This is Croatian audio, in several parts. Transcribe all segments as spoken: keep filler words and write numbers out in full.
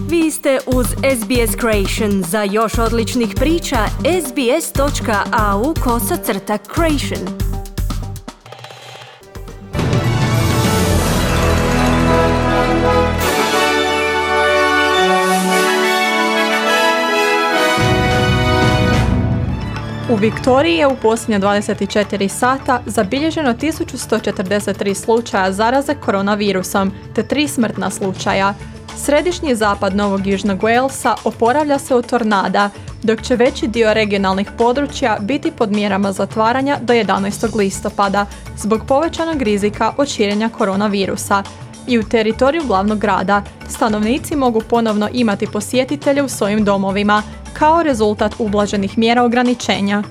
Vi ste uz S B S Creation. Za još odličnih priča, sbs.au kosacrta creation. U Viktoriji je u posljednje dvadeset četiri sata zabilježeno tisuću sto četrdeset tri slučaja zaraze koronavirusom te tri smrtna slučaja. Središnji zapad Novog Južnog Walesa oporavlja se od tornada, dok će veći dio regionalnih područja biti pod mjerama zatvaranja do jedanaestog listopada zbog povećanog rizika od širenja koronavirusa. I u teritoriju glavnog grada stanovnici mogu ponovno imati posjetitelje u svojim domovima, kao rezultat ublaženih mjera ograničenja.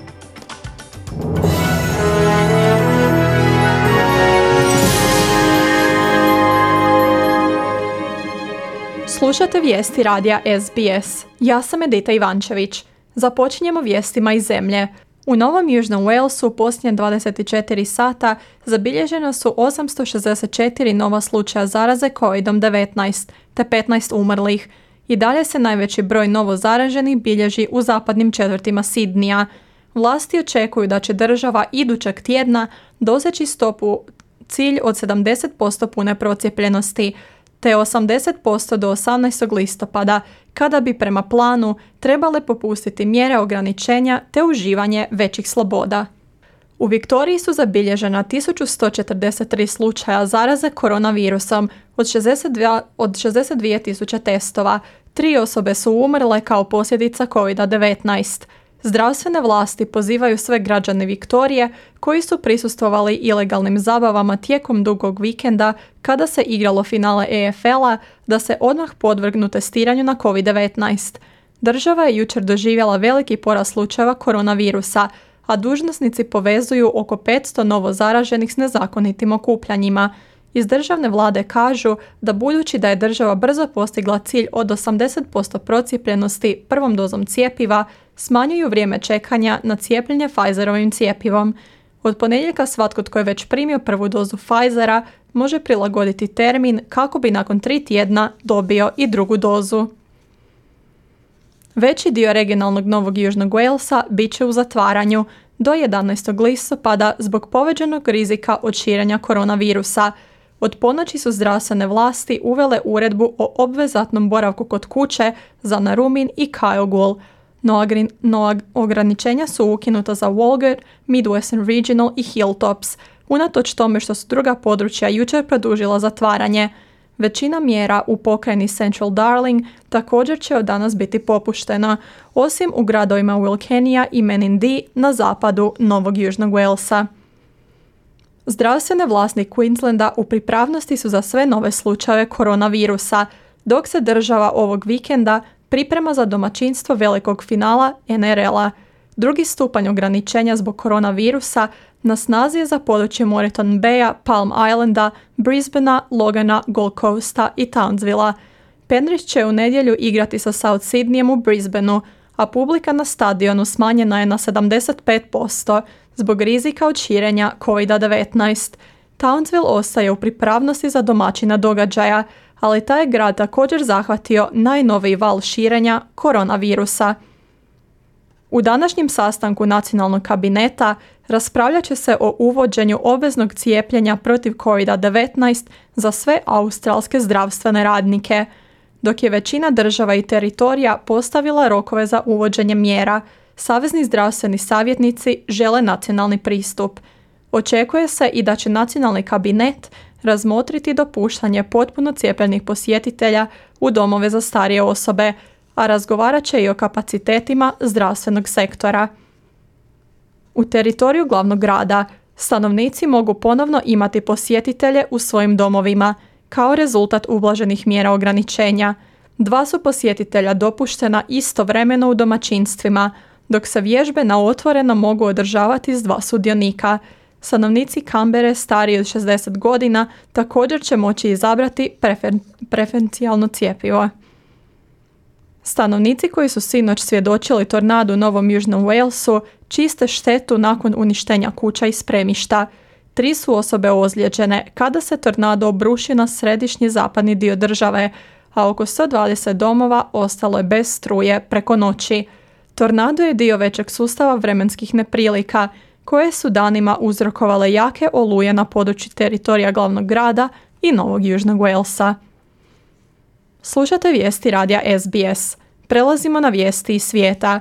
Slušate vijesti radija S B S. Ja sam Edita Ivančević. Započinjemo vijestima iz zemlje. U Novom Južnom Walesu u posljednje dvadeset četiri sata zabilježeno su osamsto šezdeset četiri nova slučaja zaraze kovid devetnaest te petnaest umrlih. I dalje se najveći broj novo zaraženih bilježi u zapadnim četvrtima Sidnija. Vlasti očekuju da će država idućeg tjedna doseći stopu cilj od sedamdeset posto pune procijepljenosti, te osamdeset posto do osamnaestog listopada, kada bi prema planu trebale popustiti mjere ograničenja te uživanje većih sloboda. U Viktoriji su zabilježena tisuću sto četrdeset tri slučaja zaraze koronavirusom od šezdeset dva, od šezdeset dvije tisuće testova. Tri osobe su umrle kao posljedica kovid devetnaest. Zdravstvene vlasti pozivaju sve građane Viktorije koji su prisustvovali ilegalnim zabavama tijekom dugog vikenda kada se igralo finale E F L-a da se odmah podvrgnu testiranju na kovid devetnaest. Država je jučer doživjela veliki porast slučajeva koronavirusa, a dužnosnici povezuju oko petsto novo zaraženih s nezakonitim okupljanjima. Iz državne vlade kažu da budući da je država brzo postigla cilj od osamdeset posto procijepljenosti prvom dozom cjepiva, smanjuju vrijeme čekanja na cijepljenje Pfizerovim cjepivom. Od ponedjeljka svatko tko je već primio prvu dozu Pfizera može prilagoditi termin kako bi nakon tri tjedna dobio i drugu dozu. Veći dio regionalnog Novog Južnog Walesa bit će u zatvaranju do jedanaestog listopada zbog povećanog rizika od širenja koronavirusa. Od ponoći su zdravstvene vlasti uvele uredbu o obvezatnom boravku kod kuće za Narumin i Kyogle, no, agri, no ograničenja su ukinuta za Walgett, Midwestern Regional i Hilltops, unatoč tome što su druga područja jučer produžila zatvaranje. Većina mjera u pokrajini Central Darling također će od danas biti popuštena, osim u gradovima Wilkenia i Menindee na zapadu Novog Južnog Walesa. Zdravstvene vlasti Queenslanda u pripravnosti su za sve nove slučajeve koronavirusa, dok se država ovog vikenda priprema za domaćinstvo velikog finala N R L-a. Drugi stupanj ograničenja zbog koronavirusa na snazi je za područje Moreton Baya, Palm Islanda, Brisbanea, Logana, Gold Coasta i Townsvilla. Penrith će u nedjelju igrati sa South Sydneyem u Brisbaneu, a publika na stadionu smanjena je na sedamdeset pet posto zbog rizika od širenja kovid devetnaest. Townsville ostaje u pripravnosti za domaćina događaja, ali taj je grad također zahvatio najnoviji val širenja koronavirusa. U današnjem sastanku nacionalnog kabineta raspravljat će se o uvođenju obveznog cijepljenja protiv kovid devetnaest za sve australske zdravstvene radnike, dok je većina država i teritorija postavila rokove za uvođenje mjera. Savezni zdravstveni savjetnici žele nacionalni pristup. Očekuje se i da će nacionalni kabinet razmotriti dopuštanje potpuno cijepljenih posjetitelja u domove za starije osobe, a razgovarat će i o kapacitetima zdravstvenog sektora. U teritoriju glavnog grada stanovnici mogu ponovno imati posjetitelje u svojim domovima, kao rezultat ublaženih mjera ograničenja. Dva su posjetitelja dopuštena istovremeno u domaćinstvima, dok se vježbe na otvoreno mogu održavati s dva sudionika. Stanovnici Canberre stariji od šezdeset godina također će moći izabrati prefer- preferencijalno cjepivo. Stanovnici koji su sinoć svjedočili tornadu u Novom Južnom Walesu čiste štetu nakon uništenja kuća i spremišta. Tri su osobe ozlijeđene kada se tornado obrušio na središnji zapadni dio države, a oko sto dvadeset domova ostalo je bez struje preko noći. Tornado je dio većeg sustava vremenskih neprilika, koje su danima uzrokovale jake oluje na području teritorija glavnog grada i Novog Južnog Walesa. Slušate vijesti radija S B S. Prelazimo na vijesti iz svijeta.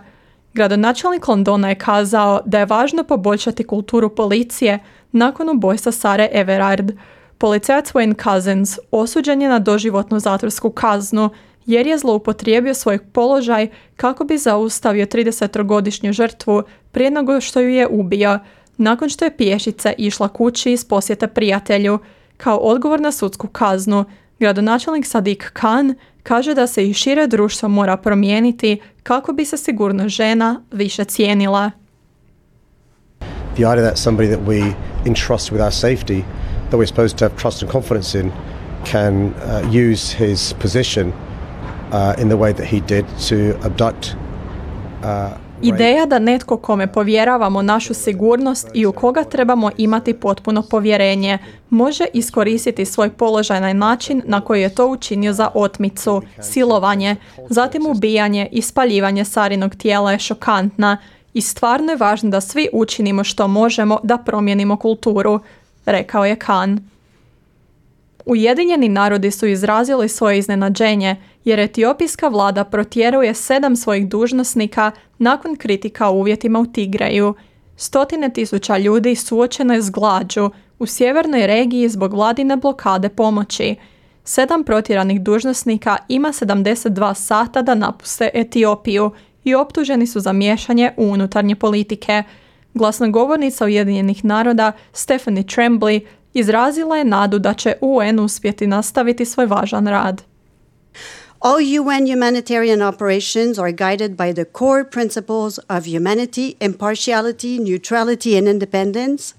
Gradonačelnik Londona je kazao da je važno poboljšati kulturu policije nakon ubojstva Sare Everard. Policajac Wayne Couzens osuđen je na doživotnu zatvorsku kaznu jer je zloupotrijebio svoj položaj kako bi zaustavio tridesetogodišnju žrtvu prije nego što ju je ubio, nakon što je pješice išla kući iz posjete prijatelju. Kao odgovor na sudsku kaznu, gradonačelnik Sadiq Khan kaže da se i šire društvo mora promijeniti kako bi se sigurnost žena više cijenila. The idea that somebody that we entrust with our safety, that we're supposed to have trust and confidence in, can uh, use his position uh, in the way that he did to abduct uh, Ideja da netko kome povjeravamo našu sigurnost i u koga trebamo imati potpuno povjerenje može iskoristiti svoj položaj na način na koji je to učinio za otmicu, silovanje, zatim ubijanje i spaljivanje Sarinog tijela je šokantna i stvarno je važno da svi učinimo što možemo da promijenimo kulturu, rekao je Khan. Ujedinjeni narodi su izrazili svoje iznenađenje jer etiopijska vlada protjeruje sedam svojih dužnosnika nakon kritika o uvjetima u Tigreju. Stotine tisuća ljudi suočeno je s glađu u sjevernoj regiji zbog vladine blokade pomoći. Sedam protjeranih dužnosnika ima sedamdeset dva sata da napuste Etiopiju i optuženi su za miješanje u unutarnje politike. Glasnogovornica Ujedinjenih naroda Stephanie Tremblay izrazila je nadu da će U N uspjeti nastaviti svoj važan rad. All U N humanitarian operations are guided by the core principles of humanity, impartiality, neutrality and independence.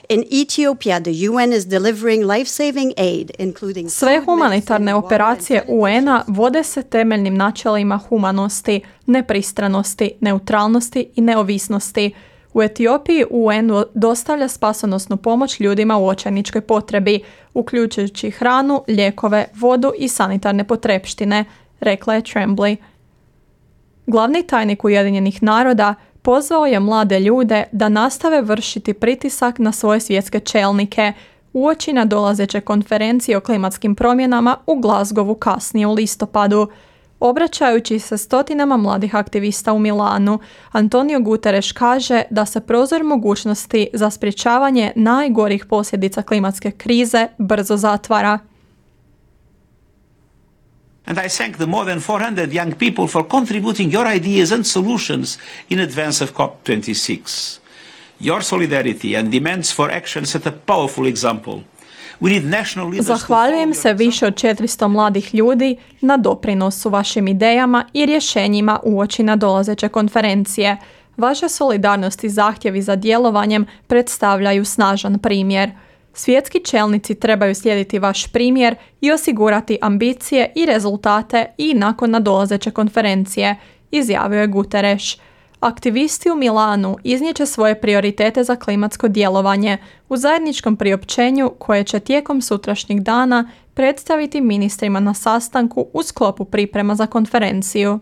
In Ethiopia, the U N is delivering life-saving aid, including... Sve humanitarne operacije U N-a vode se temeljnim načelima humanosti, nepristranosti, neutralnosti i neovisnosti. U Etiopiji U N dostavlja spasonosnu pomoć ljudima u očajničkoj potrebi, uključujući hranu, lijekove, vodu i sanitarne potrepštine, rekla je Tremblay. Glavni tajnik Ujedinjenih naroda pozvao je mlade ljude da nastave vršiti pritisak na svoje svjetske čelnike uoči nadolazeće konferencije o klimatskim promjenama u Glasgowu kasnije u listopadu. Obraćajući se stotinama mladih aktivista u Milanu, Antonio Guterres kaže da se prozor mogućnosti za sprječavanje najgorih posljedica klimatske krize brzo zatvara. And I thank the more than four hundred young people for contributing your ideas and solutions in advance of COP twenty-six. Your solidarity and demands for action set a powerful example. Zahvaljujem se više od četiristo mladih ljudi na doprinosu vašim idejama i rješenjima uoči nadolazeće konferencije. Vaša solidarnost i zahtjevi za djelovanjem predstavljaju snažan primjer. Svjetski čelnici trebaju slijediti vaš primjer i osigurati ambicije i rezultate i nakon nadolazeće konferencije, izjavio je Guterres. Aktivisti u Milanu iznijeće svoje prioritete za klimatsko djelovanje u zajedničkom priopćenju koje će tijekom sutrašnjeg dana predstaviti ministrima na sastanku u sklopu priprema za konferenciju.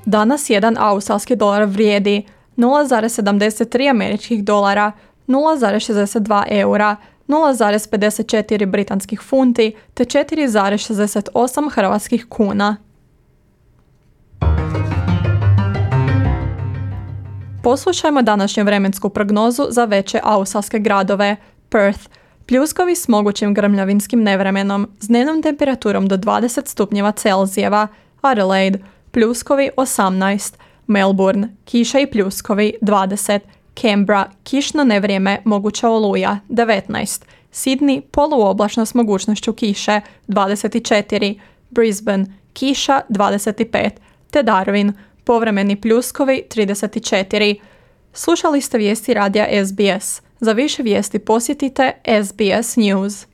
Danas jedan australski dolar vrijedi nula zarez sedamdeset tri američkih dolara, nula zarez šezdeset dva eura, nula zarez pedeset četiri britanskih funti te četiri zarez šezdeset osam hrvatskih kuna. Poslušajmo današnju vremensku prognozu za veće australske gradove. Perth, pljuskovi s mogućim grmljavinskim nevremenom, s dnevnom temperaturom do dvadeset stupnjeva Celzijeva. Adelaide, pljuskovi osamnaest. Melbourne, kiša i pljuskovi dvadeset. Canberra, kišno nevrijeme, moguća oluja, devetnaest. Sydney, poluoblačno s mogućnošću kiše, dvadeset četiri. Brisbane, kiša, dvadeset pet. Te Darwin, povremeni pljuskovi, trideset četiri. Slušali ste vijesti radija S B S. Za više vijesti posjetite S B S News.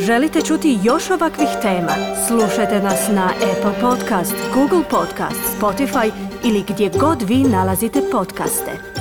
Želite čuti još ovakvih tema? Slušajte nas na Apple Podcast, Google Podcast, Spotify ili gdje god vi nalazite podcaste.